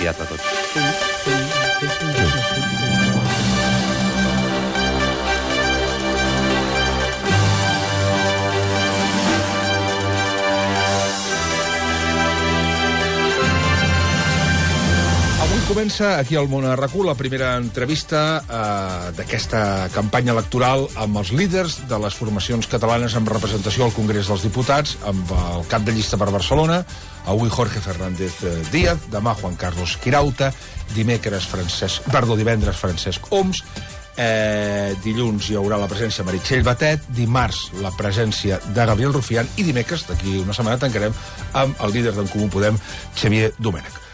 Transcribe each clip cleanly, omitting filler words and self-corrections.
teatre tot. Comença aquí al Món a RAC1 la primera entrevista d'aquesta campanya electoral amb els líders de les formacions catalanes amb representació al Congrés dels Diputats, amb el cap de llista per Barcelona, avui Jorge Fernández Díaz, demà Juan Carlos Quirauta, divendres Francesc Homs, dilluns hi haurà la presència de Meritxell Batet, dimarts la presència de Gabriel Rufián i dimecres, d'aquí una setmana, tancarem amb el líder d'en Comú Podem, Xavier Domènech.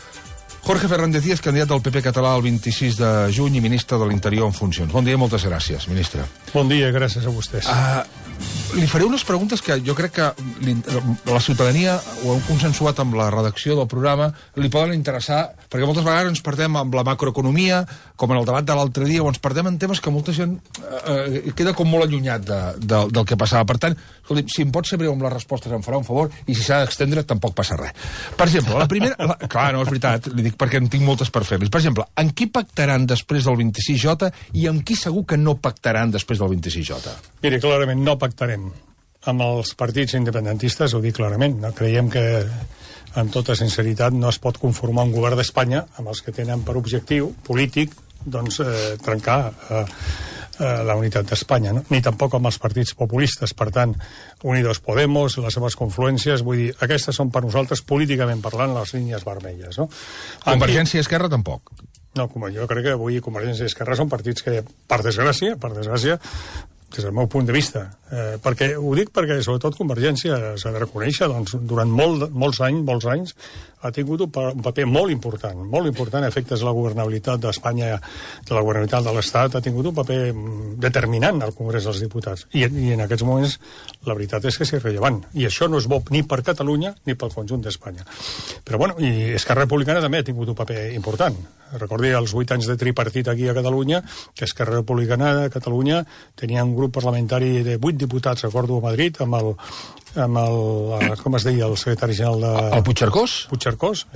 Jorge Fernández Díaz, candidat del PP català el 26 de juny i ministre de l'Interior en funcions. Bon dia i moltes gràcies, ministre. Bon dia, gràcies a vostès. Li faré unes preguntes que jo crec que la ciutadania ho hem consensuat amb la redacció del programa, li poden interessar, perquè moltes vegades ens perdem amb la macroeconomia, com en el debat de l'altre dia, o ens perdem en temes que molta gent queda com molt allunyat del que passava. Per tant, escolti, si em pot ser breu amb les respostes em farà un favor, i si s'ha d'extendre tampoc passa res. Per exemple, la primera... Clar, no, és veritat, li dic perquè en tinc moltes per fer-los. Per exemple, amb qui pactaran després del 26J i amb qui segur que no pactaran després del 26J? Miri, clarament no pactarem amb els partits independentistes, ho dic clarament. No? Creiem que, amb tota sinceritat, no es pot conformar un govern d'Espanya amb els que tenen per objectiu polític doncs, trencar la unitat d'Espanya, no? Ni tampoc amb els partits populistes. Per tant, Unidos Podemos, les seves confluències, vull dir, aquestes són per nosaltres, políticament parlant, les línies vermelles. No? Convergència i Esquerra tampoc? No, jo crec que avui Convergència i Esquerra són partits que, per desgràcia, des del meu punt de vista, ho dic perquè sobretot Convergència s'ha de reconèixer, doncs, durant molts anys ha tingut un paper molt important a efectes de la governabilitat d'Espanya, de la governabilitat de l'Estat, ha tingut un paper determinant al Congrés dels Diputats, i en aquests moments la veritat és que és irrellevant, i això no és bo ni per Catalunya ni pel conjunt d'Espanya. Però bueno, i Esquerra Republicana també ha tingut un paper important. Recordi els 8 anys de tripartit aquí a Catalunya, que Esquerra Republicana de Catalunya tenia un grup parlamentari de 8 diputats, recordo, a Madrid, amb el com es deia, el secretari general de... El Puigcercós? Puigcercós,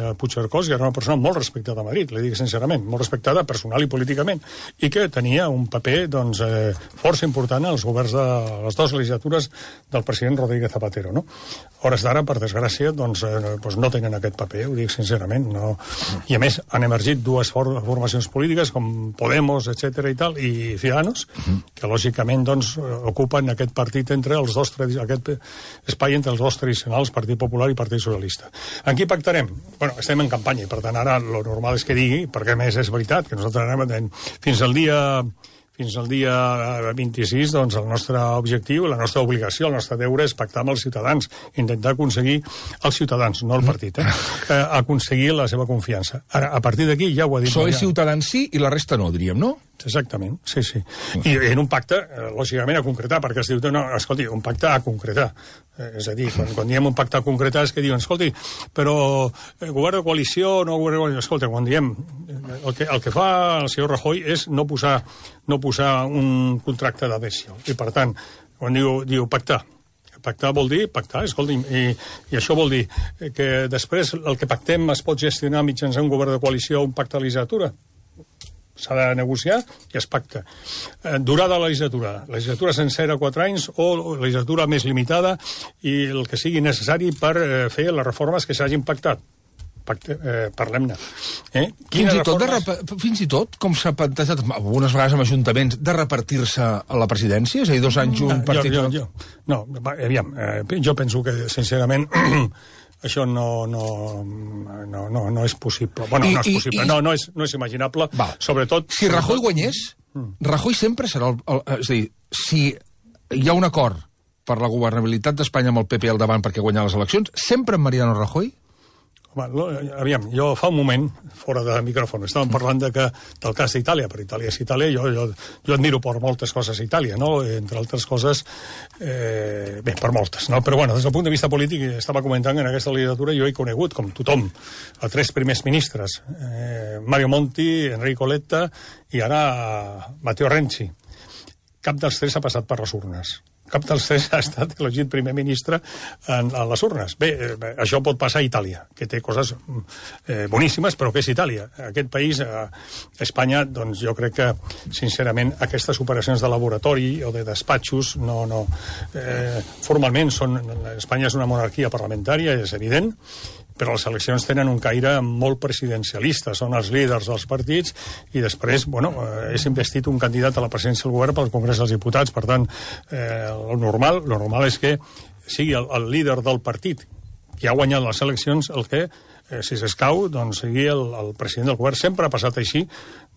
que era una persona molt respectada a Madrid, li dic sincerament, molt respectada personal i políticament, i que tenia un paper, doncs, força important als governs de les dues legislatures del president Rodríguez Zapatero, no? Hores d'ara, per desgràcia, doncs no tenen aquest paper, ho dic sincerament, no. I a més, han emergit dues formacions polítiques, com Podemos, etc. i tal, i Ciudadanos, que lògicament, doncs, ocupen aquest partit entre els dos, aquest espai entre els dos tradicionals, Partit Popular i Partit Socialista. En qui pactarem? Bueno, estem en campanya, i per tant ara lo normal és que digui, perquè a més és veritat, que nosaltres anem fins al dia 26, doncs el nostre objectiu, la nostra obligació, el nostre deure és pactar amb els ciutadans, intentar aconseguir els ciutadans, no el partit, aconseguir la seva confiança. Ara, a partir d'aquí ja ho ha dit... Soy Ciutadans sí i la resta no, diríem, no? Exactament, sí. I en un pacte, lògicament, a concretar, perquè es diu, no, escolti, un pacte a concretar. És a dir, quan diem un pacte a concretar és que diuen, escolti, però govern de coalició, no govern de coalició... Escolta, quan diem, el que fa el senyor Rajoy és no posar un contracte d'adhesió. I, per tant, quan diu pactar, pactar vol dir pactar, escolti, i això vol dir que després el que pactem es pot gestionar mitjançant un govern de coalició o un pacte de legislatura. S'ha de negociar i es pacta. Durada de la legislatura sencera 4 anys o legislatura més limitada i el que sigui necessari per fer les reformes que s'hagin pactat. Parlem-ne. Fins i tot, com s'ha plantejat algunes vegades amb ajuntaments, de repartir-se a la presidència? És a dir, 2 anys un partit... No, aviam, jo penso que, sincerament, això no és possible. Bueno, no és possible, no és imaginable, sobretot... Si Rajoy guanyés, Rajoy sempre serà és a dir, si hi ha un acord per la governabilitat d'Espanya amb el PP al davant perquè guanyar les eleccions, sempre amb Mariano Rajoy? Aviam, jo fa un moment, fora de micròfon, estàvem parlant del cas d'Itàlia. Per Itàlia és Itàlia, jo admiro per moltes coses a Itàlia, no? Entre altres coses, per moltes, no? Però bueno, des del punt de vista polític, estava comentant que en aquesta legislatura jo he conegut, com tothom, a 3 primers ministres, Mario Monti, Enrico Letta i ara Matteo Renzi. Cap dels 3 ha passat per les urnes. cap dels tres ha estat elegit primer ministre a les urnes. Bé, això pot passar a Itàlia, que té coses boníssimes, però que és Itàlia. Aquest país, Espanya, doncs jo crec que, sincerament, aquestes operacions de laboratori o de despatxos formalment Espanya és una monarquia parlamentària, és evident, però les eleccions tenen un caire molt presidencialista, són els líders dels partits i després, és investit un candidat a la presidència del govern pel Congrés dels Diputats. Per tant, el normal és que sigui el líder del partit que ha guanyat les eleccions el que, si s'escau, doncs sigui el president del govern. Sempre ha passat així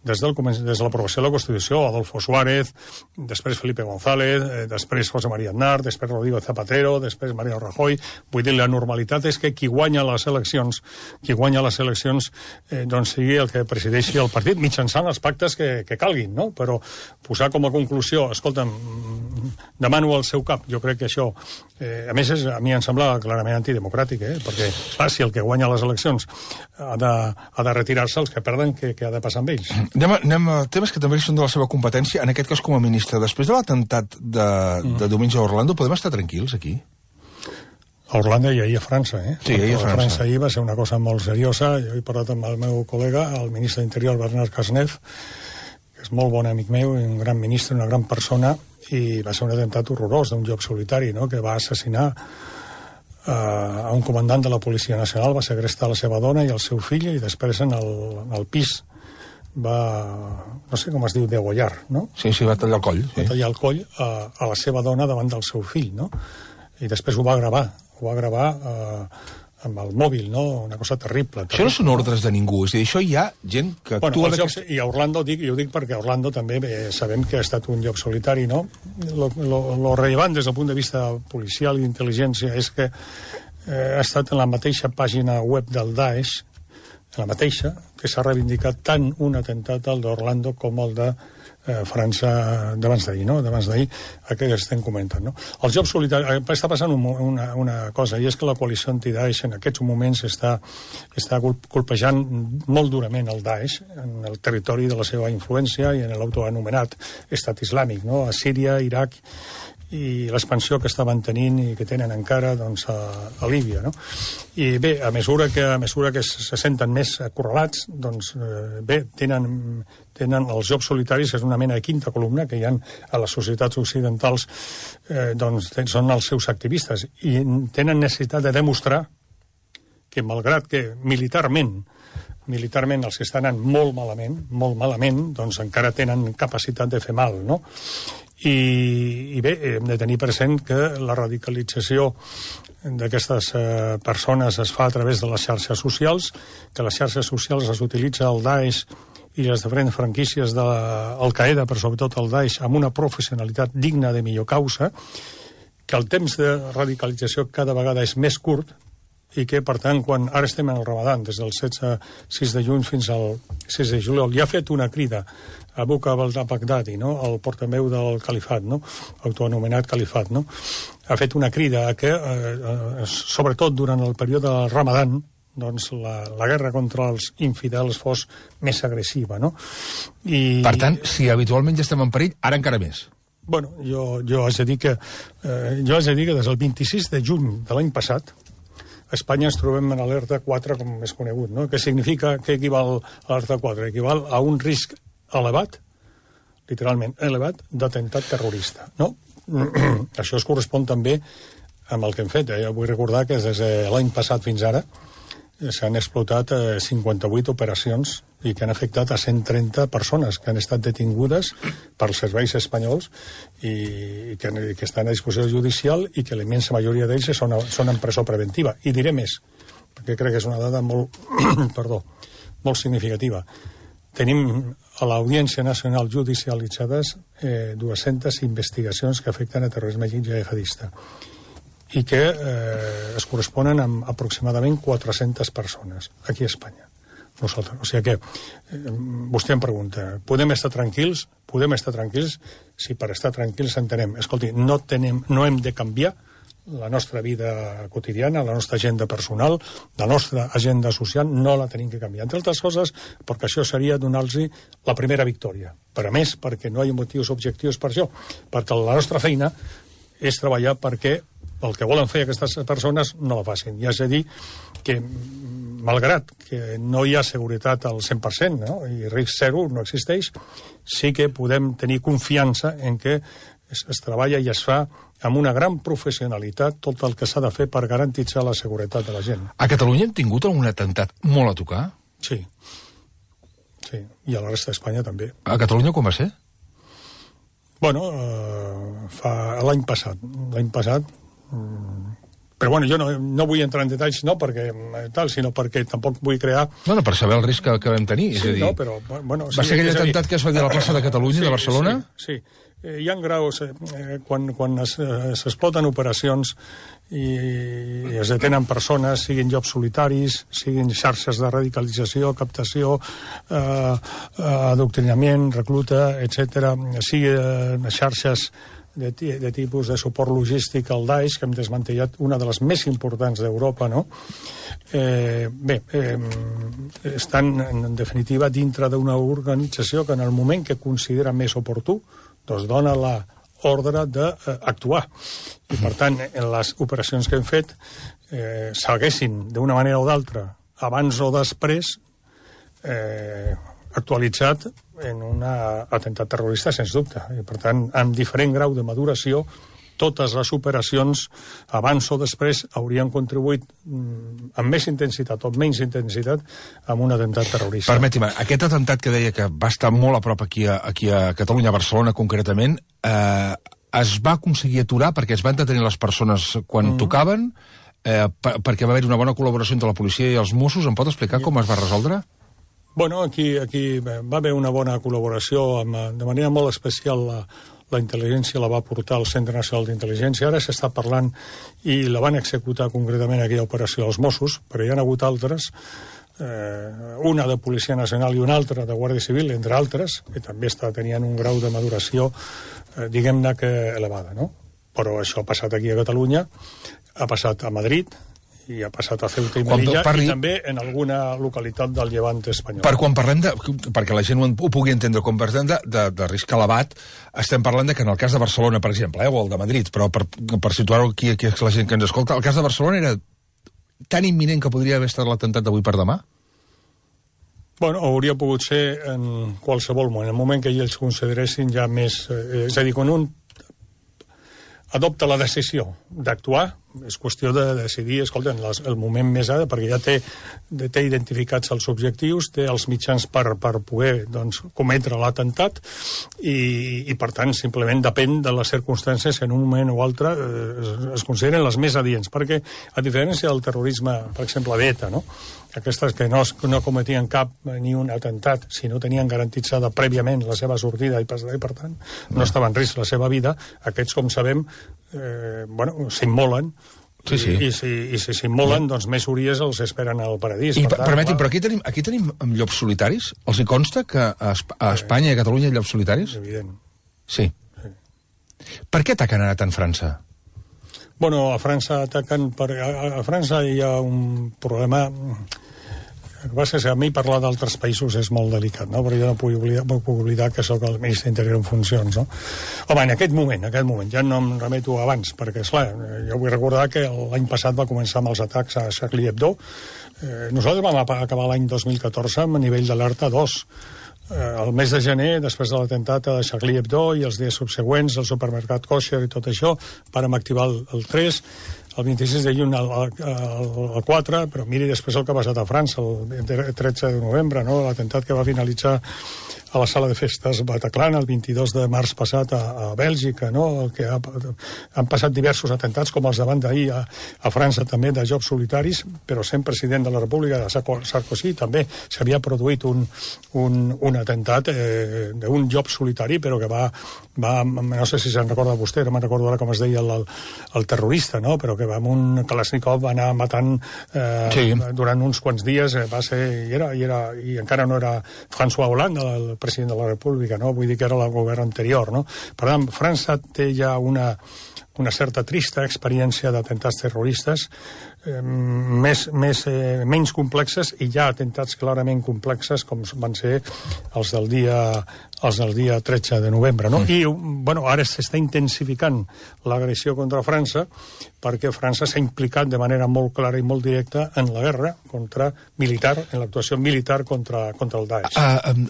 des de l'aprovació de la Constitució, Adolfo Suárez, després Felipe González, després José María Aznar, després Rodrigo Zapatero, després Mariano Rajoy. Vull dir, la normalitat és que qui guanya les eleccions doncs sigui el que presideixi el partit, mitjançant els pactes que calguin, no? Però posar com a conclusió, escolta'm, demano el seu cap, jo crec que això, a més, a mi em sembla clarament antidemocràtic, perquè, clar, si el que guanya les eleccions ha de retirar-se, els que perden, què ha de passar amb ells? Anem a temes que també són de la seva competència, en aquest cas com a ministre. Després de l'atemptat de diumenge a Orlando, podem estar tranquils aquí? A Orlando i ahir a França, Sí, ahir a França. Ahir va ser una cosa molt seriosa. Jo he parlat amb el meu col·lega, el ministre d'Interior, Bernard Cazeneuve, que és molt bon amic meu, un gran ministre, una gran persona, i va ser un atemptat horrorós d'un lloc solitari, no?, que va assassinar a un comandant de la Policia Nacional, va segrestar la seva dona i el seu fill, i després en el pis va, no sé com es diu, degollar, no? Sí, va tallar el coll. Va tallar el coll a la seva dona davant del seu fill, no? I després ho va gravar amb el mòbil, no? Una cosa terrible. Això no són ordres de ningú, és a dir, això hi ha gent que actua... I a Orlando, jo dic perquè a Orlando també sabem que ha estat un lloc solitari, no? Lo rellevant des del punt de vista policial i d'intel·ligència és que ha estat en la mateixa pàgina web del Daesh, la mateixa, que s'ha reivindicat tant un atemptat al d'Orlando com el de França d'abans d'ahir, no? D'abans d'ahir, que estem comentant, no? Els jocs solitaris... Està passant una cosa, i és que la coalició anti-Daesh en aquests moments està colpejant molt durament el Daesh en el territori de la seva influència i en l'autoanomenat estat islàmic, no? A Síria, Iraq, i l'expansió que estaven tenint i que tenen encara, doncs, a Líbia, no? I bé, a mesura que se senten més acorralats, doncs, bé, tenen els jocs solitaris, és una mena de quinta columna que hi ha a les societats occidentals, doncs, són els seus activistes, i tenen necessitat de demostrar que, malgrat que militarment els que estan anant molt malament, doncs encara tenen capacitat de fer mal, no? I bé, hem de tenir present que la radicalització d'aquestes persones es fa a través de les xarxes socials, que les xarxes socials es utilitza el Daesh i les diferents franquícies d'Al-Qaeda, però sobretot el Daesh, amb una professionalitat digna de millor causa, que el temps de radicalització cada vegada és més curt, i que, per tant, quan ara estem en el Ramadan, des del 6 de juny fins al 6 de juliol, ja ha fet una crida a Abu al-Baghdadi, no?, el portaveu del califat, no?, autoanomenat califat, no?, ha fet una crida a que, sobretot durant el període del Ramadan, doncs la guerra contra els infidels fos més agressiva, no? Per tant, si habitualment ja estem en perill, ara encara més. Bueno, jo haig de dir que des del 26 de juny de l'any passat a Espanya ens trobem en alerta 4, com és conegut, no? Què significa, què equival a alerta 4? Equival a un risc elevat, literalment elevat, d'atemptat terrorista, no? Això es correspon també amb el que hem fet. Vull recordar que des de l'any passat fins ara s'han explotat 58 operacions i que han afectat a 130 persones que han estat detingudes pels serveis espanyols i que estan a disposició judicial i que la immensa majoria d'ells són en presó preventiva. I diré més, perquè crec que és una dada molt, molt significativa. Tenim a l'Audiència Nacional judicialitzades 200 investigacions que afecten a terrorisme jihadista i que es corresponen amb aproximadament 400 persones aquí a Espanya. Nosaltres. O sigui que vostè em pregunta, podem estar tranquils? Podem estar tranquils si per estar tranquils entenem, escolti, no hem de canviar la nostra vida quotidiana, la nostra agenda personal, la nostra agenda social, no la tenim que canviar. Entre altres coses, perquè això seria donar-los la primera victòria. Per a més, perquè no hi ha motius objectius per això. Perquè la nostra feina és treballar perquè el que volen fer aquestes persones no la facin. I és a dir, que malgrat que no hi ha seguretat al 100%, no? I risc zero no existeix, sí que podem tenir confiança en que es treballa i es fa amb una gran professionalitat tot el que s'ha de fer per garantitzar la seguretat de la gent. A Catalunya hem tingut algun atemptat molt a tocar? Sí. Sí, i a la resta d'Espanya també. A Catalunya com va ser? Bueno, l'any passat. Però bueno, jo no vull entrar en detalls, no perquè tal, sinó perquè tampoc vull crear... No, per saber el risc que vam tenir. Sí, no, però... Bueno, va ser aquell atemptat que es va dir a la plaça de Catalunya, de Barcelona? Sí. Hi ha graus, quan s'exploten operacions i es detenen persones, siguin llocs solitaris, siguin xarxes de radicalització, captació, adoctrinament, recluta, etc., siguin xarxes de tipus de suport logístic al Daesh, que hem desmantellat una de les més importants d'Europa, no? Estan, en definitiva, dintre d'una organització que en el moment que considera més oportú doncs dona l'ordre d'actuar. I, per tant, en les operacions que hem fet s'haguessin, d'una manera o d'altra, abans o després, actualitzat en un atemptat terrorista, sens dubte. I, per tant, amb diferent grau de maduració, totes les operacions, abans o després, haurien contribuït amb més intensitat o menys intensitat amb un atemptat terrorista. Permeti-me, aquest atemptat que deia que va estar molt a prop aquí a Catalunya, a Barcelona concretament, es va aconseguir aturar perquè es van detenir les persones quan tocaven, perquè va haver una bona col·laboració entre la policia i els Mossos. Em pot explicar com es va resoldre? Bueno, aquí va haver una bona col·laboració, de manera molt especial la intel·ligència la va portar al Centre Nacional d'Intel·ligència. Ara s'està parlant i la van executar concretament aquella operació als Mossos, però hi ha hagut altres, una de Policia Nacional i una altra de Guàrdia Civil, entre altres, que també tenien un grau de maduració, diguem-ne que elevada, no? Però això ha passat aquí a Catalunya, ha passat a Madrid, i ha passat a Ceuta i Melilla, i també en alguna localitat del Llevant espanyol. Quan parlem perquè la gent ho pugui entendre, quan parlem de risc elevat, estem parlant que en el cas de Barcelona, per exemple, o el de Madrid, però per situar-ho aquí la gent que ens escolta, el cas de Barcelona era tan imminent que podria haver estat l'atemptat d'avui per demà? Bueno, hauria pogut ser en qualsevol moment, en el moment que ells consideressin ja més... és a dir, quan un adopta la decisió d'actuar, és qüestió de decidir, escolta, el moment més ara, perquè ja té identificats els objectius, té els mitjans per poder cometre l'atemptat i, per tant, simplement depèn de les circumstàncies que en un moment o altre es consideren les més adients, perquè, a diferència del terrorisme, per exemple, d'ETA, no? Aquestes que no cometien cap ni un atemptat, si no tenien garantitzada prèviament la seva sortida i per tant, no estava en risc la seva vida, aquests, com sabem, s'immolen. Sí, sí. I si s'immolen, doncs més uries els esperen al paradís. Permeti'm, però aquí tenim llops solitaris? Els hi consta que a Espanya i a Catalunya hi ha llops solitaris? Evident. Sí. Per què ataquen ara tant França? Bueno, a França ataquen... A França hi ha un problema... El que passa és que a mi parlar d'altres països és molt delicat, no? Però jo no puc oblidar que sóc el ministre d'Interior en funcions, no? Home, en aquest moment, ja no em remeto abans, perquè, esclar, jo vull recordar que l'any passat va començar amb els atacs a Charlie Hebdo. Nosaltres vam acabar l'any 2014 amb nivell d'alerta 2. El mes de gener, després de l'atemptat a Charlie Hebdo i els dies subsegüents, el supermercat Kosher i tot això, vàrem activar el 3, el 26 de juny al 4, però miri després el que ha passat a França, el 13 de novembre, no? L'atemptat que va finalitzar a la sala de festes Bataclan el 22 de març passat a Bèlgica, no? Que han passat diversos atemptats, com els davant d'ahir a França també, de jocs solitaris, però sent president de la República, de Sarkozy, també s'havia produït un atemptat d'un joc solitari, però que va, no sé si se'n recorda vostè, no me'n recordo ara com es deia el terrorista, no? Però que amb un Kalashnikov va anar matant durant uns quants dies, va ser, i encara no era François Hollande, el president de la República, no? Vull dir que era el govern anterior, no? Per tant, França té ja una certa trista experiència d'atemptats terroristes. menys complexes, i hi ha atemptats clarament complexes com van ser els del dia 13 de novembre, no? I, bueno, ara s'està intensificant l'agressió contra França perquè França s'ha implicat de manera molt clara i molt directa en la guerra en l'actuació militar contra el Daesh.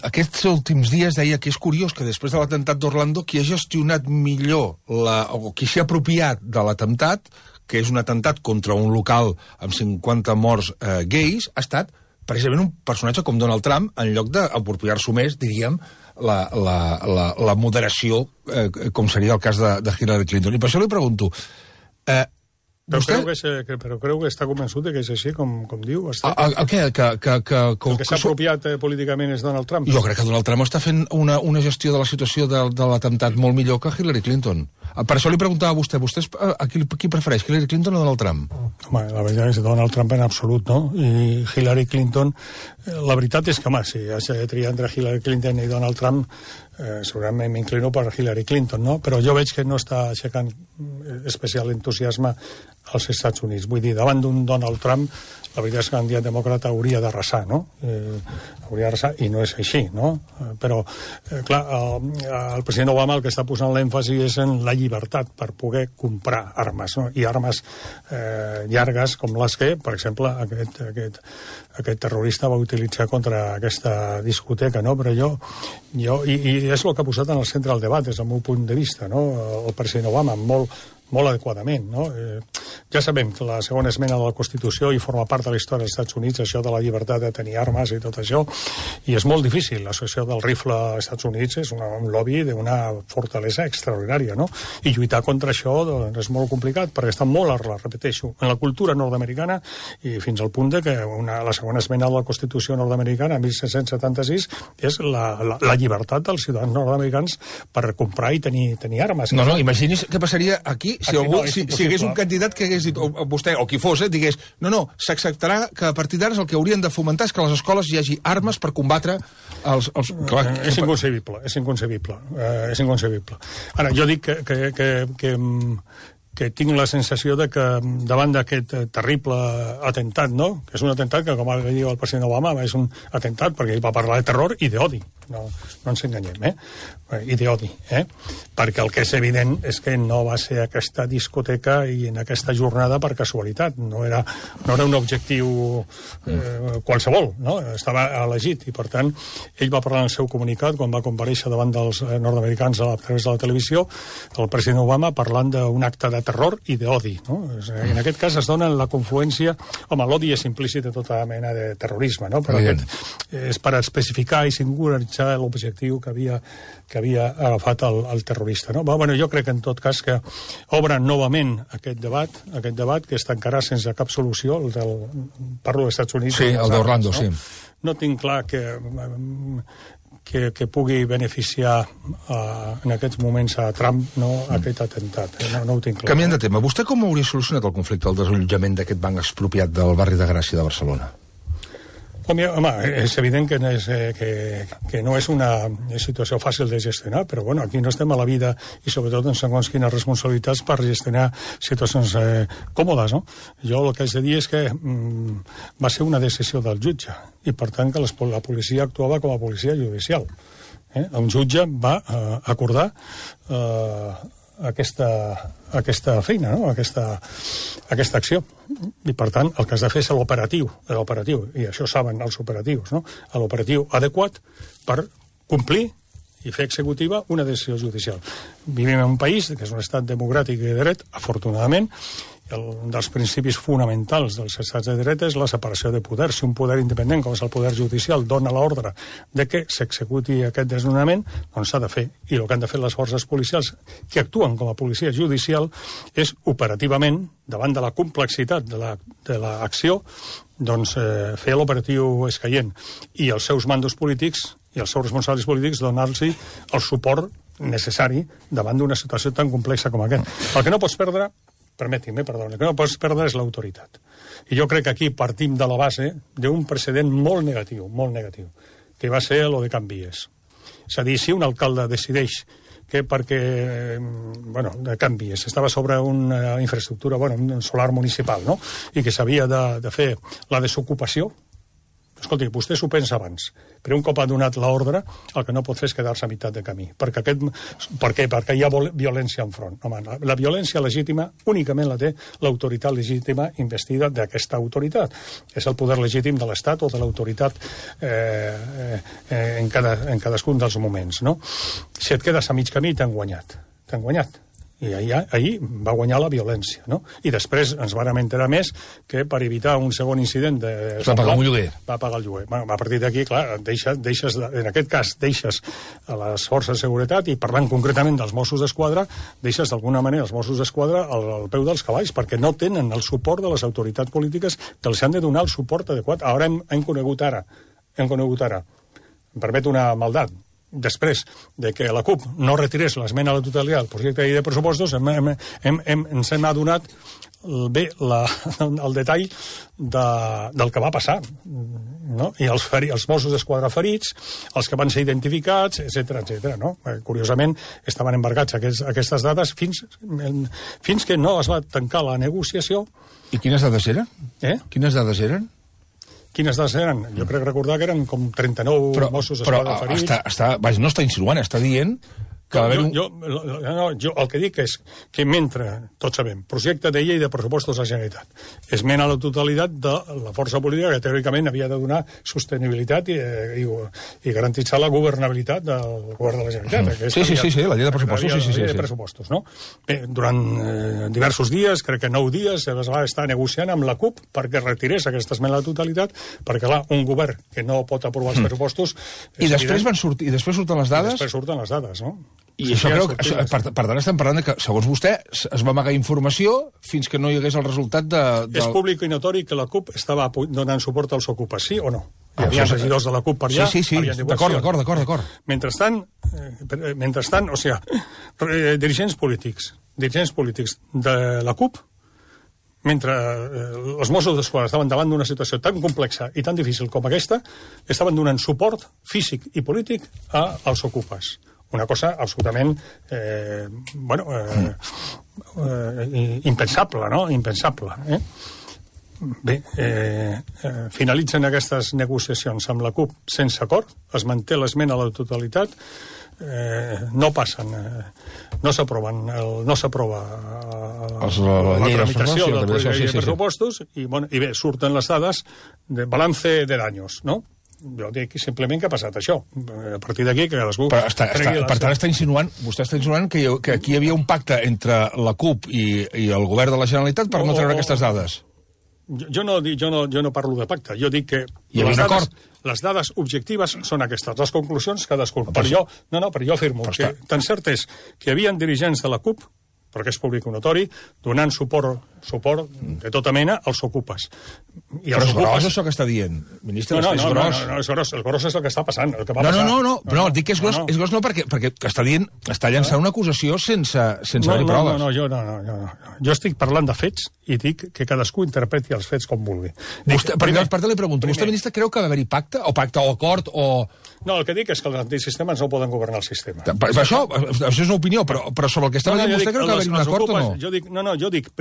Aquests últims dies deia que és curiós que després de l'atemptat d'Orlando qui ha gestionat millor o qui s'ha apropiat de l'atemptat, que és un atemptat contra un local amb 50 morts gais, ha estat precisament un personatge com Donald Trump, en lloc d'apropiar-s'ho més, diríem, la moderació, com seria el cas de Hillary Clinton. I per això li pregunto... Però creu que està convençut que és així, com diu? El què? El que s'ha apropiat políticament és Donald Trump? Jo crec que Donald Trump està fent una gestió de la situació de l'atemptat molt millor que Hillary Clinton. Per això li preguntava a vostè, qui prefereix, Hillary Clinton o Donald Trump? Home, la veritat és Donald Trump en absolut, no? I Hillary Clinton, la veritat és que, home, si has de triar entre Hillary Clinton i Donald Trump, segurament m'inclino per Hillary Clinton, no? Però jo veig que no està aixecant especial entusiasme als Estats Units. Vull dir, davant d'un Donald Trump, la veritat és que el candidat demòcrata hauria d'arrasar, no? Hauria d'arrasar, i no és així, no? Però, clar, el president Obama el que està posant l'èmfasi és en la llibertat per poder comprar armes, no? I armes llargues com les que, per exemple, aquest terrorista va utilitzar contra aquesta discoteca, no? Però i és el que ha posat en el centre del debat, des del meu punt de vista, no? El president Obama, molt adequadament, no? Ja sabem que la segona esmena de la Constitució i forma part de la història dels Estats Units, això de la llibertat de tenir armes i tot això, i és molt difícil. L'associació del rifle als Estats Units és un lobby d'una fortalesa extraordinària, no? I lluitar contra això doncs, és molt complicat, perquè està molt arrelat, repeteixo, en la cultura nord-americana, i fins al punt de que la segona esmena de la Constitució nord-americana, 1776, és la llibertat dels ciutadans nord-americans per comprar i tenir armes. No, imagini's què passaria aquí si hi hagués un candidat que hagués dit, o vostè, o qui fos, digués, no, s'acceptarà que a partir d'ara el que haurien de fomentar és que a les escoles hi hagi armes per combatre els... És inconcebible. És inconcebible. Ara, jo dic que tinc la sensació de que davant d'aquest terrible atemptat, no? Que és un atemptat que, com va dir el president Obama, és un atemptat perquè ell va parlar de terror i d'odi. No ens enganyem, i d'odi, perquè el que és evident és que no va ser aquesta discoteca i en aquesta jornada per casualitat, no era un objectiu qualsevol, no? Estava elegit, i per tant ell va parlar en el seu comunicat quan va comparèixer davant dels nord-americans a través de la televisió, el president Obama parlant d'un acte de terror i d'odi, no? En aquest cas es dona la confluència, home, l'odi és implícit de tota mena de terrorisme, no? Però aquest és per especificar i singularitzar l'objectiu que havia agafat el terrorista, no? Bueno, jo crec en tot cas que obre novament aquest debat que es tancarà sense cap solució, parlo dels Estats Units. Sí, el d'Orlando, no? Sí. No tinc clar que pugui beneficiar en aquests moments a Trump, no, aquest atemptat. No ho tinc clar. Canviant de tema, vostè com hauria solucionat el conflicte, el desallotjament d'aquest banc expropiat del barri de Gràcia de Barcelona? Home, és evident que no és una situació fàcil de gestionar, però bueno, aquí no estem a la vida i sobretot en segons quines responsabilitats per gestionar situacions còmodes, no? Jo el que haig de dir és que va ser una decisió del jutge i per tant que la policia actuava com a policia judicial. Un jutge va acordar aquesta feina, no? aquesta acció. I, per tant, el que has de fer és l'operatiu, i això saben els operatius, no? L'operatiu adequat per complir i fer executiva una decisió judicial. Vivim en un país que és un estat democràtic i de dret, afortunadament. Un dels principis fonamentals dels estats de dret és la separació de poders. Si un poder independent, com és el poder judicial, dona l'ordre de que s'executi aquest desnonament, doncs s'ha de fer. I el que han de fer les forces policials, que actuen com a policia judicial, és operativament, davant de la complexitat de l'acció, doncs fer l'operatiu escaient. I els seus mandos polítics i els seus responsables polítics donar-los el suport necessari davant d'una situació tan complexa com aquesta. El que no pots perdre, permeti'm, el que no pots perdre és l'autoritat. I jo crec que aquí partim de la base d'un precedent molt negatiu, que va ser el de Can Vies. És a dir, si un alcalde decideix de canvi, estava sobre una infraestructura, un solar municipal, no? I que s'havia de fer la desocupació. Escolti, vostè s'ho pensa abans, però un cop ha donat l'ordre, el que no pot fer és quedar-se a meitat de camí. Per què? Perquè hi ha violència enfront. Home, la violència legítima únicament la té l'autoritat legítima investida d'aquesta autoritat. És el poder legítim de l'Estat o de l'autoritat en cadascun dels moments, no? Si et quedes a mig camí, t'han guanyat. T'han guanyat. I ahir va guanyar la violència, no? I després ens vàrem enterar més que per evitar un segon incident va pagar un lloguer. Va pagar el lloguer. A partir d'aquí, clar, en aquest cas deixes a les forces de seguretat, i parlant concretament dels Mossos d'Esquadra, deixes d'alguna manera els Mossos d'Esquadra al peu dels cavalls, perquè no tenen el suport de les autoritats polítiques que els han de donar el suport adequat. Ara hem conegut ara, em permet una maldat, després de que la CUP no retirés l'esmena a la totalitat del projecte de llei de pressupostos, ens hem adonat el detall del que va passar, no? I els Mossos d'Esquadra ferits, els que van ser identificats, etc., no? Curiosament, estaven embargats aquestes dades fins que no es va tancar la negociació. I quines dades eren? Quines dades eren? Quines dades eren? Jo crec recordar que eren com 39 Mossos d'Esquadra ferits. Però no està insinuant, està dient que va haver jo el que dic és que mentre, tots sabem, projecte de llei de pressupostos de la Generalitat, esmena a la totalitat de la força política que teòricament havia de donar sostenibilitat i garantitzar la governabilitat del govern de la Generalitat. Sí, la llei de pressupostos. La llei de pressupostos, no? Durant diversos dies, crec que 9 dies, es va estar negociant amb la CUP perquè retirés aquesta esmena a la totalitat, perquè, clar, un govern que no pot aprovar els pressupostos... I després surten les dades? I després surten les dades, no? I això creu que, per tant, estem parlant de que, segons vostè, es va amagar informació fins que no hi hagués el resultat de... És públic i notori que la CUP estava donant suport als ocupes, sí o no? Hi havia regidors de la CUP per allà. Sí, d'acord. Mentrestant, o sigui, dirigents polítics de la CUP, mentre els Mossos d'Esquadra estaven davant d'una situació tan complexa i tan difícil com aquesta, estaven donant suport físic i polític als ocupes. Una cosa absolutament impensable, no? Impensable. Bé, finalitzen aquestes negociacions amb la CUP sense acord, es manté l'esmena a la totalitat, no passen, no s'aprova la tramitació del projecte de pressupostos i bé, surten les dades de balance de daños, no? Jo dic simplement que ha passat això. A partir d'aquí que cadascú... Per tant, vostè està insinuant que aquí hi havia un pacte entre la CUP i el govern de la Generalitat per no treure aquestes dades. Jo no parlo de pacte, jo dic que les dades objectives són aquestes, les conclusions cadascú. Però jo afirmo que tan cert és que hi havia dirigents de la CUP, perquè és públic i notori, donant suport de tota mena als ocupes. Però és gros això que està dient, ministre? No, és gros. El gros és el que està passant. No, dic que és gros no perquè està llançant una acusació sense haver proves. Jo estic parlant de fets i dic que cadascú interpreti els fets com vulgui. Per tant, li pregunto, vostè, ministre, creu que va haver-hi pacte o acord o... No, el que dic és que els antisistemes no poden governar el sistema. Això és una opinió, però sobre el que estava dient vostè creu que va haver-hi un acord o no? Jo dic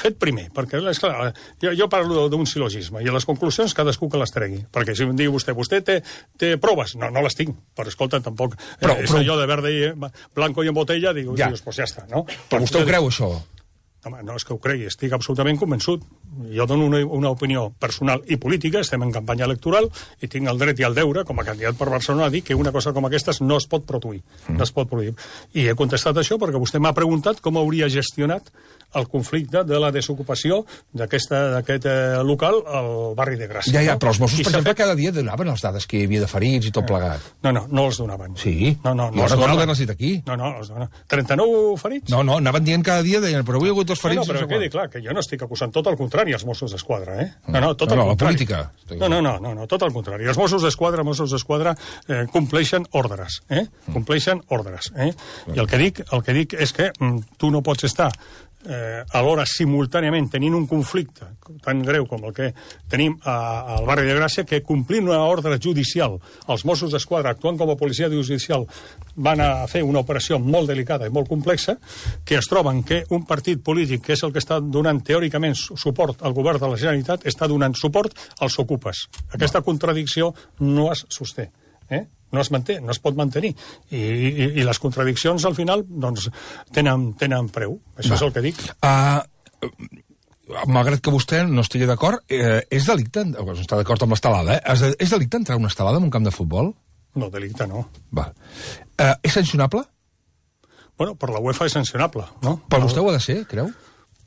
fet primer, perquè, esclar, jo parlo d'un silogisme, i a les conclusions cadascú que les tregui, perquè si em diu vostè té proves? No les tinc, però escolta, tampoc és allò de verde i blanco i en botella, dius, pues ja està, no? Però vostè ho creu, això? Home, no és que ho cregui, estic absolutament convençut. Jo dono una opinió personal i política, estem en campanya electoral, i tinc el dret i el deure, com a candidat per Barcelona, a dir que una cosa com aquesta no es pot produir. No es pot produir. I he contestat això perquè vostè m'ha preguntat com hauria gestionat el conflicte de la desocupació d'aquest local al barri de Gràcia. Però els Mossos, per exemple, cada dia donaven les dades que hi havia de ferits i tot plegat. No els donaven. Sí? No els recordo haver-les dit aquí. No, els donaven. 39 ferits? No, anaven dient cada dia, però avui hi ha hagut dos ferits. Però quedi clar, que jo no estic acusant, tot el contrari, els Mossos d'Esquadra, tot el contrari. La política. No, tot el contrari. Els Mossos d'Esquadra compleixen ordres, compleixen ordres. I el que dic és que tu no pots estar alhora simultàniament tenint un conflicte tan greu com el que tenim al barri de Gràcia, que complint una ordre judicial, els Mossos d'Esquadra, actuant com a policia judicial, van a fer una operació molt delicada i molt complexa, que es troben que un partit polític, que és el que està donant teòricament suport al govern de la Generalitat, està donant suport als ocupes. Aquesta contradicció no es sosté. No es manté, no es pot mantenir. I les contradiccions, al final, doncs, tenen preu. Això és el que dic. Malgrat que vostè no estigui d'acord, és delicte, no està d'acord amb l'estelada, és delicte entrar a una estelada en un camp de futbol? No, delicte no. És sancionable? Bueno, per la UEFA és sancionable, no? Per vostè ho ha de ser, creu?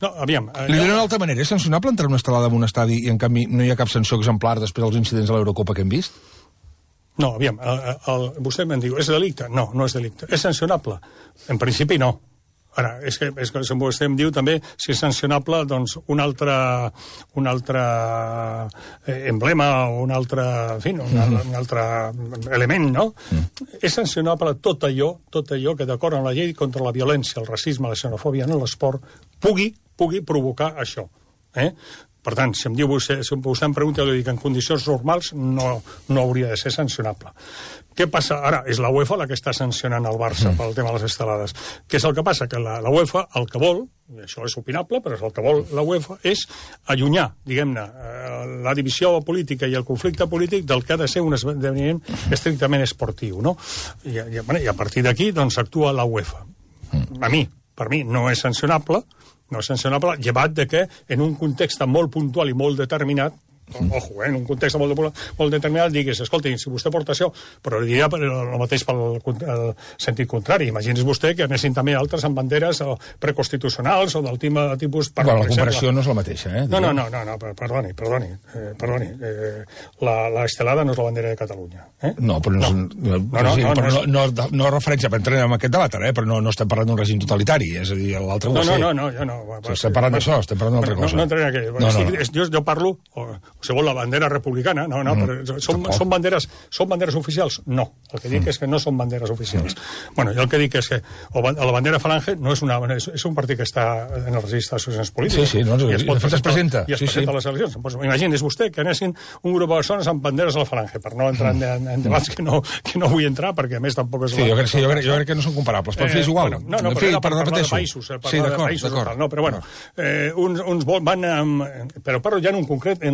No, aviam... Li diré d'una altra manera, és sancionable entrar a una estelada en un estadi i, en canvi, no hi ha cap sanció exemplar després dels incidents de l'Eurocopa que hem vist? No, aviam, vostè me'n diu, és delicte? No, no és delicte. És sancionable? En principi no. Ara, és que vostè em diu també si és sancionable, doncs, un altre emblema o un altre, en fi, un altre element, no? És sancionable tot allò que, d'acord amb la llei contra la violència, el racisme, la xenofòbia en l'esport, pugui provocar això. Per tant, si vostè em pregunta, jo li dic, en condicions normals no hauria de ser sancionable. Què passa? Ara, és la UEFA la que està sancionant el Barça pel tema de les estelades. Què és el que passa? Que la UEFA el que vol, i això és opinable, però el que vol la UEFA és allunyar, diguem-ne, la divisió política i el conflicte polític del que ha de ser un esdeveniment estrictament esportiu, no? I a partir d'aquí, doncs, actua la UEFA. Per mi, no és sancionable, llevat de que en un context molt puntual i molt determinat, en un context molt determinat, digues, escolti, si vostè porta això, però li diria el mateix pel sentit contrari. Imagini's vostè que anessin també altres amb banderes preconstitucionals o del tipus... Bueno, la comparació no és la mateixa, No, perdoni. La estelada no és la bandera de Catalunya. No, però no és referència, per entrar en aquest debat, però no estem parlant d'un règim totalitari, és a dir, l'altre ho va ser. No, jo no. Estem parlant d'això, estem parlant d'altra cosa. No entraré aquí. Jo parlo... Segons la bandera republicana, però són banderes oficials? No. El que dic és que no són banderes oficials. Bueno, jo el que dic és que la bandera Falange no és un partit que està en el registre d'associacions polítiques. Sí, de fet es presenta. I es presenta a les eleccions. Imagini's vostè que anessin un grup de persones amb banderes a la Falange, per no entrar en debats que no vull entrar, perquè a més tampoc és... Sí, jo crec que no són comparables, però és igual. No, però parlar de països. No, però bueno, uns van... Però parlo ja en un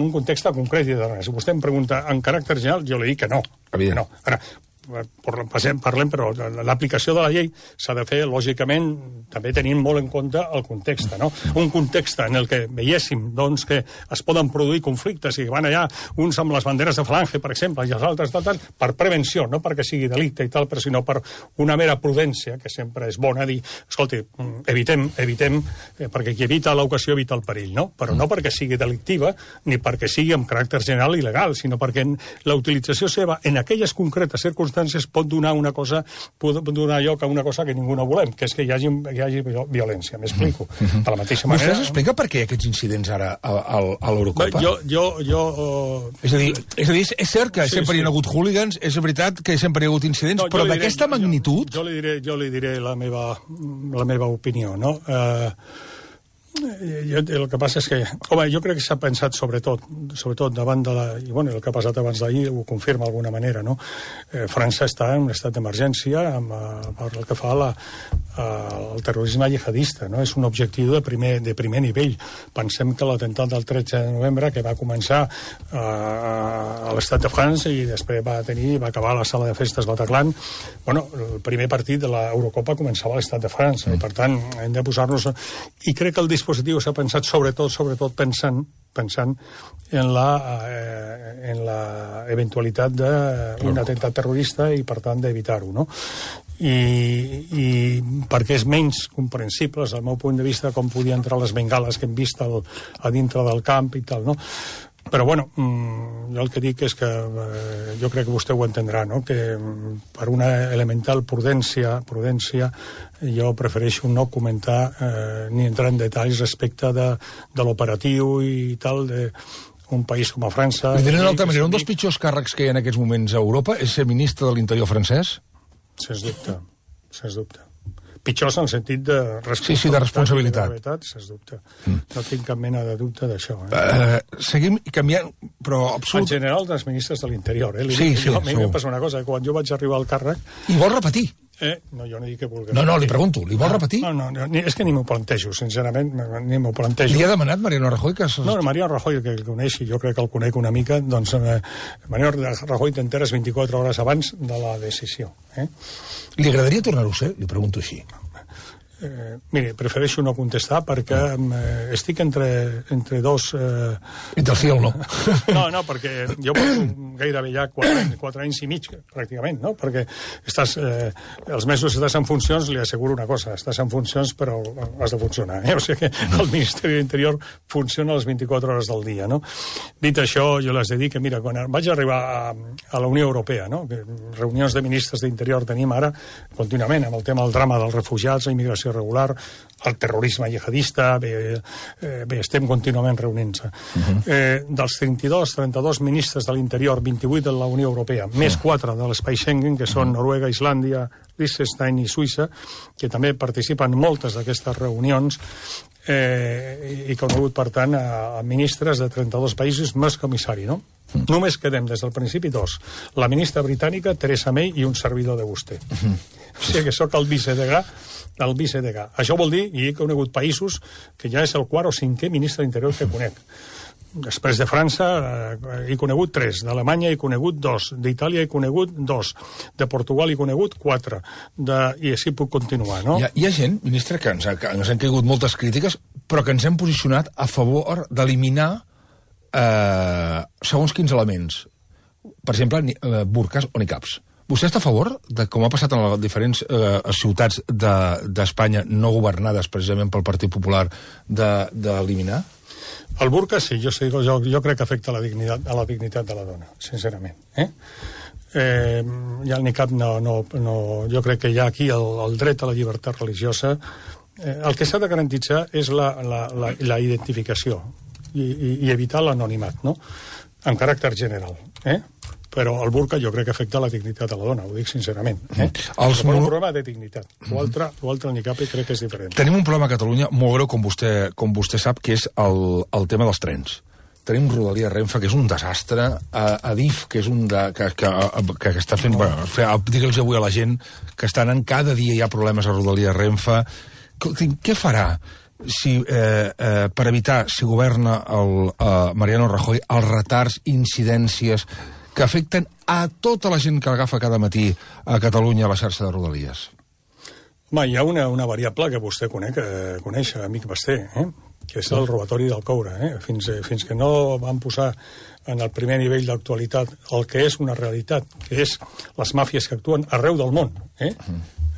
context concret i de res. Si vostè em pregunta en caràcter general, jo li dic que no. No. Ara, parlem, però l'aplicació de la llei s'ha de fer, lògicament, també tenint molt en compte el context, no? Un context en el que veiéssim, doncs, que es poden produir conflictes i que van allà uns amb les banderes de Falange, per exemple, i els altres tal, per prevenció, no perquè sigui delicte i tal, però sinó per una mera prudència, que sempre és bona dir, escolti, evitem, perquè qui evita l'ocasió evita el perill, no? Però no perquè sigui delictiva, ni perquè sigui amb caràcter general i legal, sinó perquè la utilització seva en aquelles concretes circumstàncies pot donar lloc a una cosa que ningú no volem, que és que hi hagi violència. M'explico. De la mateixa manera... Vostè s'explica per què aquests incidents ara a l'Eurocopa? És a dir, és cert que sempre hi ha hagut hooligans, és veritat que sempre hi ha hagut incidents, però d'aquesta magnitud... Jo li diré la meva opinió, no? El que passa és que... jo crec que s'ha pensat sobretot davant de la... I bueno, el que ha passat abans d'ahir ho confirma d'alguna manera, no? França està en un estat d'emergència per el que fa al terrorisme jihadista, no? És un objectiu de primer nivell. Pensem que l'atemptat del 13 de novembre, que va començar a l'estat de França i després va acabar a la sala de festes Bataclan, bueno, el primer partit de l'Eurocopa començava a l'estat de França, i per tant hem de posar-nos... I crec que el dispositiu s'ha pensat sobretot pensant en la eventualitat d'un atemptat terrorista i, per tant, d'evitar-ho, no? I perquè és menys comprensible, des del meu punt de vista, com podien entrar les bengales que hem vist a dintre del camp i tal, no? Però, bueno, jo el que dic és que jo crec que vostè ho entendrà, no? Que per una elemental prudència jo prefereixo no comentar ni entrar en detalls respecte de l'operatiu i tal d'un país com a França... Li diré d'una altra manera, un dels pitjors càrrecs que hi ha en aquests moments a Europa és ser ministre de l'Interior francès? Sens dubte. pitjors en el sentit de responsabilitat. Sí, de responsabilitat. Sens dubte. No tinc cap mena de dubte d'això. Seguim canviant, però En general, dels ministres de l'Interior. Sí, a mi em passa una cosa, quan jo vaig arribar al càrrec... I vol repetir? No, jo no dic que vulgui. No, li pregunto, li vol repetir? No, és que ni m'ho plantejo, sincerament, ni m'ho plantejo. Li ha demanat Mariano Rajoy que... No, Mariano Rajoy, que el coneix, i jo crec que el conec una mica, doncs Mariano Rajoy t'enteres 24 hores abans de la decisió. Li agradaria tornar-ho a ser? Li pregunto així. Mire, prefereixo no contestar perquè estic entre dos... Entre el sí i el no. No, perquè jo porto gairebé ja 4 anys i mig, pràcticament, no? Perquè els mesos que estàs en funcions, li asseguro una cosa, estàs en funcions però has de funcionar, O sigui que el Ministeri de l'Interior funciona les 24 hores del dia, no? Dit això, jo les he dit que, mira, quan vaig arribar a la Unió Europea, no? Que reunions de ministres d'Interior tenim ara contínuament amb el tema del drama dels refugiats, la immigració regular, el terrorisme jihadista, bé, estem contínuament reunint-se. Dels 32 ministres de l'Interior, 28 de la Unió Europea, més 4 de l'espai Schengen, que són Noruega, Islàndia, Liechtenstein i Suïssa, que també participen en moltes d'aquestes reunions, i que han hagut, per tant, a ministres de 32 països més comissari, no? Només quedem des del principi 2. La ministra britànica, Theresa May, i un servidor de vostè. O sigui que sóc el vicedegà. Això vol dir, i he conegut països que ja és el 4 o 5è ministre d'Interior que conec. Després de França he conegut 3, d'Alemanya he conegut 2, d'Itàlia he conegut 2, de Portugal he conegut 4, i així puc continuar, no? Hi ha gent, ministre, que ens han caigut moltes crítiques, però que ens hem posicionat a favor d'eliminar segons quins elements. Per exemple, burques o niqabs. Vostè està a favor de, com ha passat en les diferents ciutats d'Espanya no governades precisament pel Partit Popular, d'eliminar? El burca sí, jo crec que afecta a la dignitat de la dona, sincerament. Ja el niqab no, jo crec que hi ha aquí el dret a la llibertat religiosa. El que s'ha de garantitzar és la identificació i evitar l'anonimat, no? En caràcter general, però el burca jo crec que afecta la dignitat de la dona, ho dic sincerament. Però un problema de dignitat. L'altre, el niqab, crec que és diferent. Tenim un problema a Catalunya molt greu, com vostè sap, que és el tema dels trens. Tenim Rodalies Renfe, que és un desastre, Adif, que és que està fent... Digue'ls avui a la gent que estan en cada dia hi ha problemes a Rodalies Renfe. Què farà per evitar, si governa Mariano Rajoy, els retards, incidències que afecten a tota la gent que agafa cada matí a Catalunya a la xarxa de Rodalies? Home, hi ha una variable que vostè coneix, amic Basté, que és el robatori del coure. Fins que no van posar en el primer nivell d'actualitat el que és una realitat, que és les màfies que actuen arreu del món,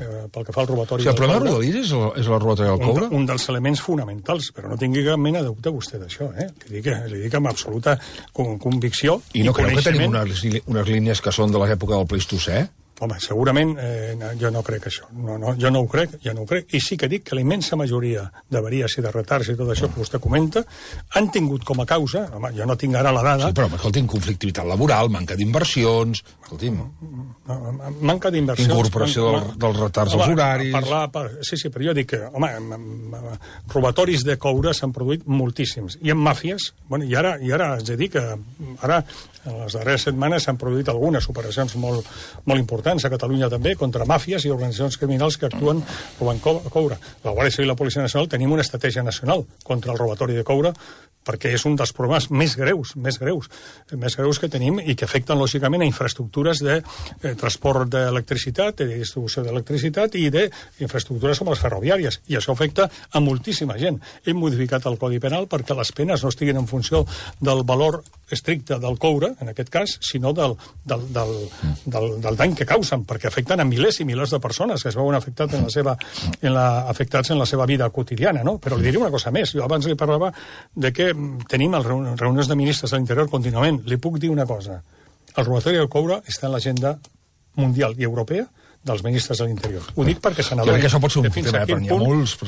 pel que fa al robatori del coure. El problema de Rodalies és el robatori del coure? Un dels elements fonamentals, però no tingui cap mena de dubte vostè d'això. Li dic amb absoluta convicció. I no creu que tenim unes línies que són de l'època del Pleistocè? Home, segurament jo no crec això. Jo no ho crec. I sí que dic que la immensa majoria d'avaries i de retards i tot això que vostè comenta han tingut com a causa, home, jo no tinc ara la dada... Sí, però, escolti'm, conflictivitat laboral, manca d'inversions... Escolti'm... Manca d'inversions... Incorporació dels retards als horaris... Sí, però jo dic que, home, robatoris de coure s'han produït moltíssims. I en màfies, i ara haig de dir que ara, en les darreres setmanes, s'han produït algunes operacions molt importants a Catalunya també, contra màfies i organitzacions criminals que actuen robant coure. La Guàrdia Civil i la Policia Nacional tenim una estratègia nacional contra el robatori de coure perquè és un dels problemes més greus que tenim i que afecten, lògicament, a infraestructures de transport d'electricitat, de distribució d'electricitat i d'infraestructures com les ferroviàries. I això afecta a moltíssima gent. Hem modificat el Codi Penal perquè les penes no estiguin en funció del valor estricte del coure, en aquest cas, sinó del dany que causen, perquè afecten a milers i milers de persones que es veuen afectats en la seva vida quotidiana, no? Però li diré una cosa més. Jo abans li parlava de que tenim reunions de ministres de l'Interior contínuament. Li puc dir una cosa. El robatori del coure està en l'agenda mundial i europea dels ministres de l'Interior. Ho dic perquè se n'adonin. Jo crec que això pot ser un tema, però n'hi ha molts.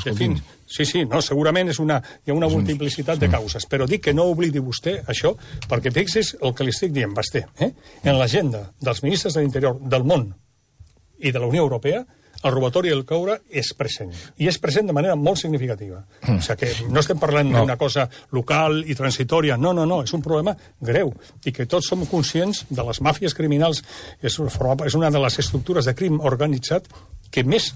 Sí, segurament hi ha una multiplicitat de causes, però dic que no oblidi vostè això, perquè fixi's el que li estic dient, Basté. En l'agenda dels ministres de l'Interior del món i de la Unió Europea el robatori del coure és present. I és present de manera molt significativa. O sigui que no estem parlant d'una cosa local i transitòria. No, és un problema greu. I que tots som conscients de les màfies criminals. És una de les estructures de crim organitzat que més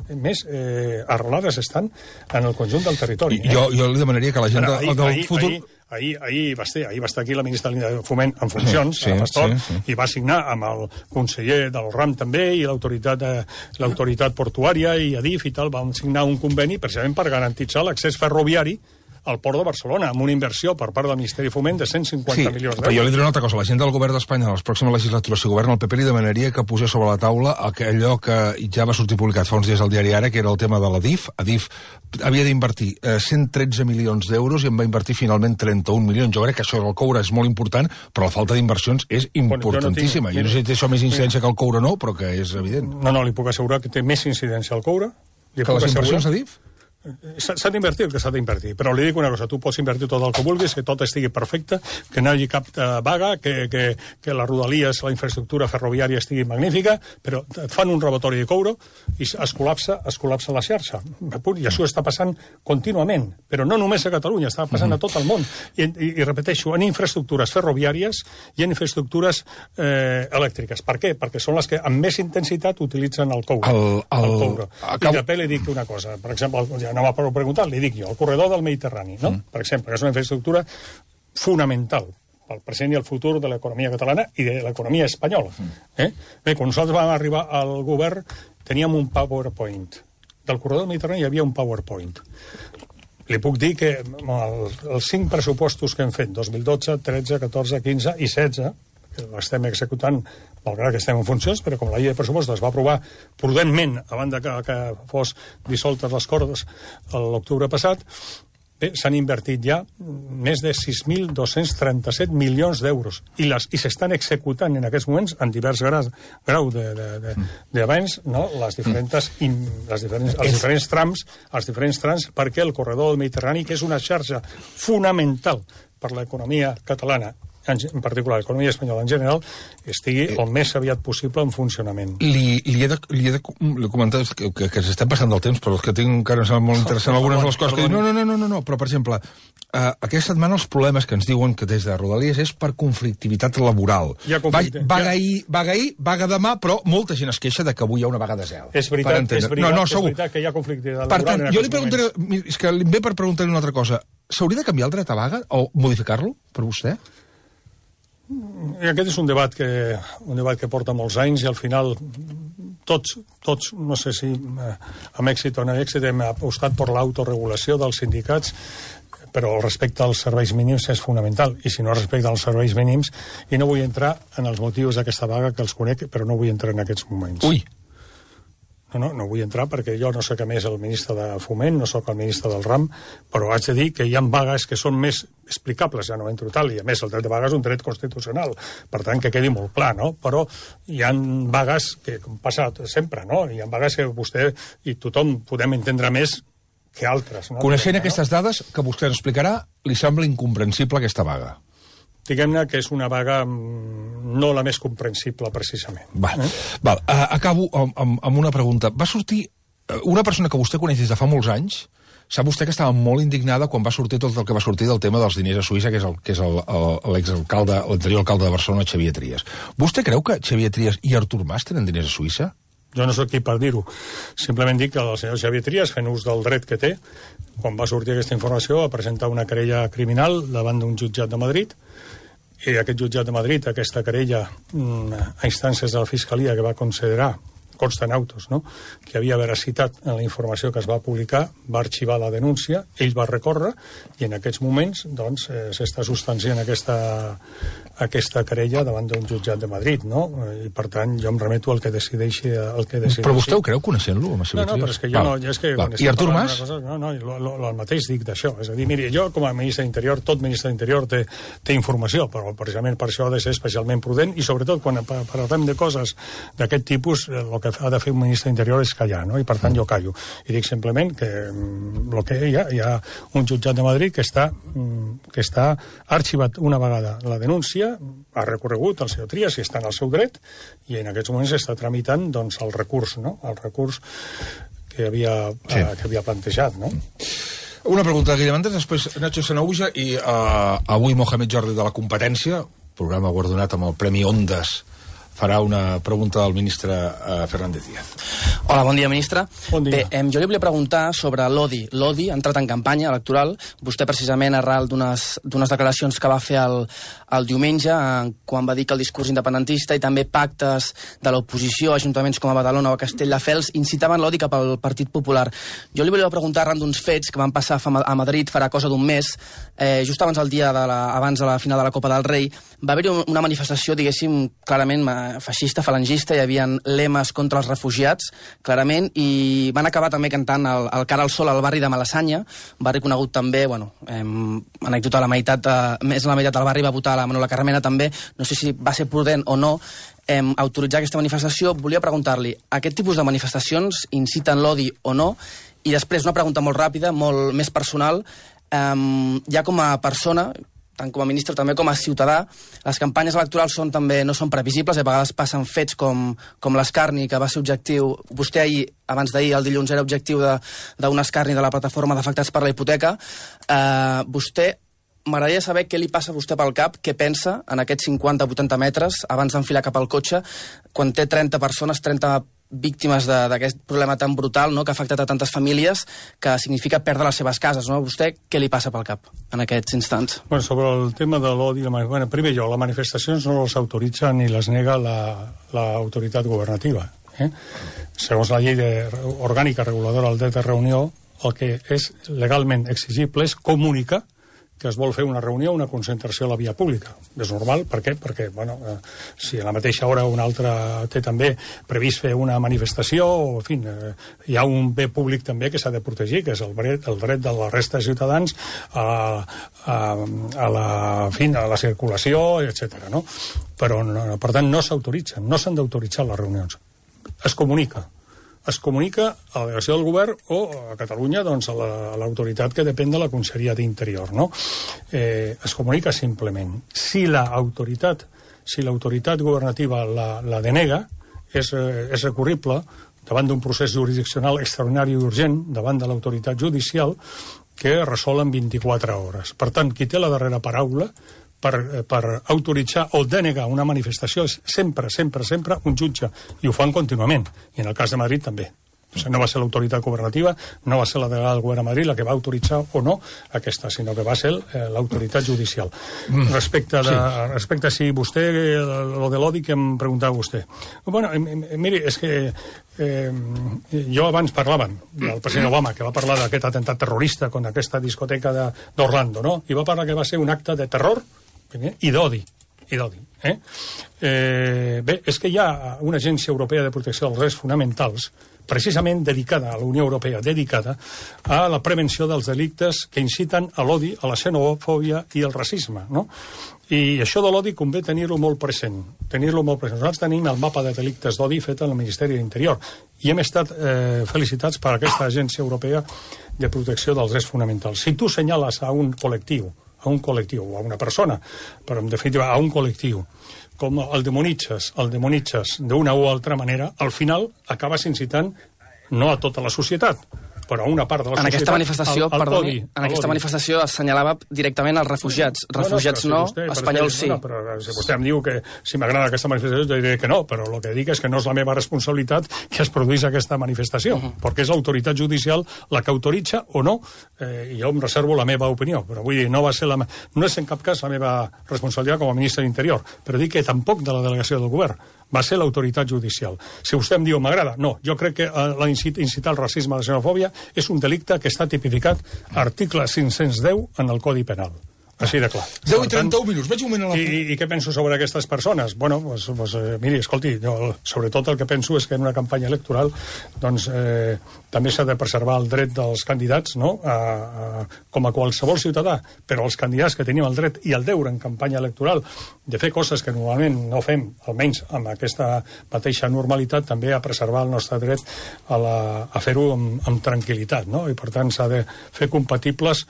arrelades estan en el conjunt del territori. Jo li demanaria que la gent del futur... Ahir va estar aquí la ministra de Foment en funcions, Pastor, i va signar amb el conseller del RAM també i l'autoritat portuària i Adif i tal, van signar un conveni precisament per garantitzar l'accés ferroviari al Port de Barcelona, amb una inversió per part del Ministeri de Foment de 150 milions d'euros. Però jo li diré una altra cosa. La gent del govern d'Espanya, a les pròximes legislatures, si governa el PP, li demanaria que posés sobre la taula allò que ja va sortir publicat fa uns dies al diari Ara, que era el tema de l'Adif. Adif havia d'invertir 113 milions d'euros i en va invertir finalment 31 milions. Jo crec que això del coure és molt important, però la falta d'inversions és importantíssima. Jo no sé si té això més incidència que el coure no, però que és evident. No, li puc assegurar que té més incidència al coure. Que les inversions a Adif? S'ha d'invertir el que s'ha d'invertir, però li dic una cosa, tu pots invertir tot el que vulguis, que tot estigui perfecte, que no hi hagi cap vaga, que la Rodalies, la infraestructura ferroviària estigui magnífica, però et fan un robatori de coure i es col·lapsa la xarxa. I això està passant contínuament, però no només a Catalunya, està passant a tot el món. I repeteixo, en infraestructures ferroviàries i en infraestructures elèctriques. Per què? Perquè són les que amb més intensitat utilitzen el coure. I també li dic una cosa, per exemple, ja no m'ha preguntat, li dic jo, el corredor del Mediterrani, no? Per exemple, que és una infraestructura fonamental pel present i el futur de l'economia catalana i de l'economia espanyola. Bé, quan nosaltres vam arribar al govern teníem un PowerPoint. Del corredor del Mediterrani hi havia un PowerPoint. Li puc dir que els 5 pressupostos que hem fet, 2012, 13, 14, 15 i 16, que l'estem executant, malgrat que estem en funcions, però com la llei de pressupostos es va aprovar prudentment abans que fos dissoltes les cordes l'octubre passat, bé, s'han invertit ja més de 6.237 milions d'euros i s'estan executant en aquests moments en divers graus d'avanç, no? els diferents trams, perquè el corredor del Mediterrani, que és una xarxa fonamental per l'economia catalana, en particular l'economia espanyola en general, estigui el més aviat possible en funcionament. Li he de comentar que s'estem passant del temps, però és que tinc encara molt interessant algunes de les coses que dic. No, però per exemple, aquesta setmana els problemes que ens diuen que des de Rodalies és per conflictivitat laboral. Vaga demà, però molta gent es queixa de que avui hi ha una vaga de zel. És veritat que hi ha conflictivitat laboral. Per tant, jo li preguntaré, és que em ve per preguntar-li una altra cosa. S'hauria de canviar el dret a vaga o modificar-lo, per vostè? I aquest és un debat que porta molts anys i al final tots, no sé si amb èxit o no èxit, hem apostat per l'autoregulació dels sindicats, però el respecte als serveis mínims és fonamental, i si no respecten els serveis mínims, i no vull entrar en els motius d'aquesta vaga, que els conec, però no vull entrar en aquests moments. Ui! No vull entrar perquè jo no sé què més el ministre de Foment, no sóc el ministre del RAM, però haig de dir que hi ha vagues que són més explicables, ja no entro tal, i a més el dret de vaga és un dret constitucional, per tant que quedi molt clar, no? Però hi ha vagues que, com passa sempre, no? Hi ha vagues que vostè i tothom podem entendre més que altres. No? Coneixent aquestes dades que vostè ens explicarà, li sembla incomprensible aquesta vaga? Diguem-ne que és una vaga no la més comprensible, precisament. Val. Acabo amb una pregunta. Va sortir una persona que vostè coneix des de fa molts anys, sap vostè que estava molt indignada quan va sortir tot el que va sortir del tema dels diners a Suïssa, que és l'exalcalde, l'anterior alcalde de Barcelona, Xavier Trias. Vostè creu que Xavier Trias i Artur Mas tenen diners a Suïssa? Jo no soc qui per dir-ho. Simplement dic que el senyor Xavier Trias, fent ús del dret que té, quan va sortir aquesta informació, va presentar una querella criminal davant d'un jutjat de Madrid, i aquest jutjat de Madrid, aquesta querella a instàncies de la Fiscalia que va considerar, consta en autos, no?, que hi havia veracitat en la informació que es va publicar, va arxivar la denúncia, ell va recórrer, i en aquests moments, doncs, s'està substanciant aquesta querella davant d'un jutjat de Madrid, no? I, per tant, jo em remeto al que decideixi... Però vostè ho creu, coneixent-lo? No, però és que jo no... I Artur Mas? No, el mateix dic d'això. És a dir, miri, jo, com a ministre d'Interior, tot ministre d'Interior té informació, però precisament per això ha de ser especialment prudent, i sobretot quan parlem de coses d'aquest tipus, el que que ha de fer un ministre d'Interior és callar, no? I per tant jo callo. I dic simplement que hi ha un jutjat de Madrid que està arxivat una vegada la denúncia, ha recorregut el senyor Trias i està en el seu dret, i en aquests moments està tramitant doncs, el recurs, no? El recurs que havia plantejat, no? Una pregunta de Guillem Antes, després Nacho Sanahuja i avui Mohamed Jordi de la Competència, programa guardonat amb el Premi Ondas, farà una pregunta al ministre Fernández Díaz. Hola, bon dia, ministre. Bon dia. Bé, jo li volia preguntar sobre l'ODI. L'ODI ha entrat en campanya electoral. Vostè, precisament, arran d'unes declaracions que va fer el diumenge, quan va dir que el discurs independentista i també pactes de l'oposició, ajuntaments com a Badalona o a Castelldefels, incitaven l'ODI cap al Partit Popular. Jo li volia preguntar arran d'uns fets que van passar a Madrid farà cosa d'un mes, just abans del dia abans de la final de la Copa del Rei, va haver-hi una manifestació, diguéssim, clarament feixista, falangista, hi havia lemes contra els refugiats, clarament, i van acabar també cantant el Cara al Sol al barri de Malassanya, barri conegut també, anècdota, més de la meitat del barri va votar la Manuela Carmena també, no sé si va ser prudent o no autoritzar aquesta manifestació. Volia preguntar-li, aquest tipus de manifestacions inciten l'odi o no? I després, una pregunta molt ràpida, molt més personal, ja com a persona, tant com a ministre també com a ciutadà, les campanyes electorals no són previsibles, a vegades passen fets com l'escarni, que va ser objectiu, vostè ahir, abans d'ahir, el dilluns, era objectiu d'un escarni de la plataforma d'afectats per la hipoteca. M'agradaria saber què li passa a vostè pel cap, què pensa en aquests 50-80 metres abans d'enfilar cap al cotxe, quan té 30 persones, 30 víctimes d'aquest problema tan brutal, no?, que ha afectat a tantes famílies, que significa perdre les seves cases, no? Vostè què li passa pel cap en aquests instants? Bueno, sobre el tema de l'odi, primer les manifestacions no les autoritza ni les nega l'autoritat governativa. Segons la llei orgànica reguladora del dret de reunió, el que és legalment exigible és comunicar que es vol fer una reunió, una concentració a la via pública. És normal, per què? Perquè, si a la mateixa hora una altra té també previst fer una manifestació, o, en fi, hi ha un bé públic també que s'ha de protegir, que és el dret de la resta de ciutadans a la circulació, etc. No? Però, per tant, no s'autoritzen, no s'han d'autoritzar les reunions. Es comunica a la delegació del govern o a Catalunya doncs, a l'autoritat que depèn de la Conselleria d'Interior. No? Es comunica simplement. Si l'autoritat governativa la denega, és recurrible davant d'un procés jurisdiccional extraordinari i urgent, davant de l'autoritat judicial, que resol en 24 hores. Per tant, qui té la darrera paraula per autoritzar o denegar una manifestació és sempre un jutge, i ho fan contínuament, i en el cas de Madrid també. O sigui, no va ser l'autoritat governativa, no va ser la delegada del govern a Madrid la que va autoritzar o no aquesta, sinó que va ser l'autoritat judicial. Respecte a si vostè, lo de l'odi que em preguntava vostè. Bueno, miri, és que jo abans parlàvem del president Obama, que va parlar d'aquest atemptat terrorista contra aquesta discoteca d'Orlando, no? I va parlar que va ser un acte de terror i d'odi. Bé, és que hi ha una agència europea de protecció dels drets fonamentals precisament dedicada a la Unió Europea, dedicada a la prevenció dels delictes que inciten a l'odi, a la xenofòbia i al racisme, no? I això de l'odi convé tenir-lo molt present. Nosaltres tenim el mapa de delictes d'odi fet al Ministeri d'Interior i hem estat felicitats per aquesta agència europea de protecció dels drets fonamentals. Si tu senyales a un col·lectiu o a una persona, però en definitiva a un col·lectiu, com el demonitzes d'una o altra manera, al final acabes incitant no a tota la societat, però a una part de la societat. En aquesta manifestació assenyalava directament els refugiats. Refugiats no, espanyols sí. Però si vostè em diu que si m'agrada aquesta manifestació, jo diré que no, però el que dic és que no és la meva responsabilitat que es produís aquesta manifestació, perquè és l'autoritat judicial la que autoritza o no, i jo em reservo la meva opinió, però vull dir, no és en cap cas la meva responsabilitat com a ministre d'Interior, però dic que tampoc de la delegació del govern, va ser l'autoritat judicial. Si vostè em diu m'agrada, no, jo crec que incitar al racisme, a la xenofòbia, és un delicte que està tipificat article 510 en el Codi Penal. Així de clar. 10 i 31 minuts, vaig un moment a la... I què penso sobre aquestes persones? Bueno, miri, escolti, jo sobretot el que penso és que en una campanya electoral doncs, també s'ha de preservar el dret dels candidats, no? Com a qualsevol ciutadà, però els candidats que tenim el dret i el deure en campanya electoral de fer coses que normalment no fem, almenys amb aquesta mateixa normalitat, també a preservar el nostre dret a fer-ho amb tranquil·litat, no? I per tant s'ha de fer compatibles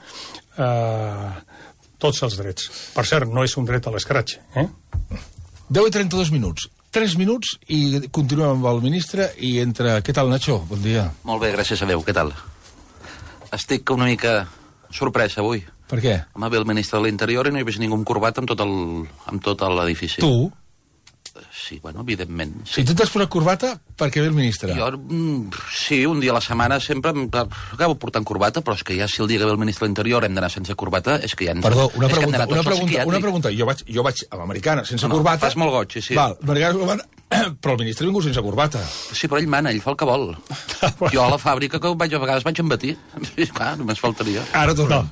tots els drets. Per cert, no és un dret a l'escratx. 10 i 32 minuts. 3 minuts i continuem amb el ministre i entra... Què tal, Nacho? Bon dia. Molt bé, gràcies a Déu. Què tal? Estic una mica sorprès avui. Per què? Em va ve el ministre de l'Interior i no hi veig ningú amb corbat amb tot l'edifici. Tu? Sí, bueno, evidentment. Si tu t'has posat corbata, perquè ve el ministre. Jo, sí, un dia a la setmana sempre acabo portant corbata, però és que ja si el dia que ve el ministre de l'Interior hem d'anar sense corbata, és que ja... Perdó, una pregunta. Jo vaig a l'americana sense corbata... Fas molt goig, sí. Val, però el ministre ha vingut sense corbata. Sí, però ell mana, ell fa el que vol. Jo a la fàbrica que a vegades vaig embatir. Clar, només faltaria. Ara tornem.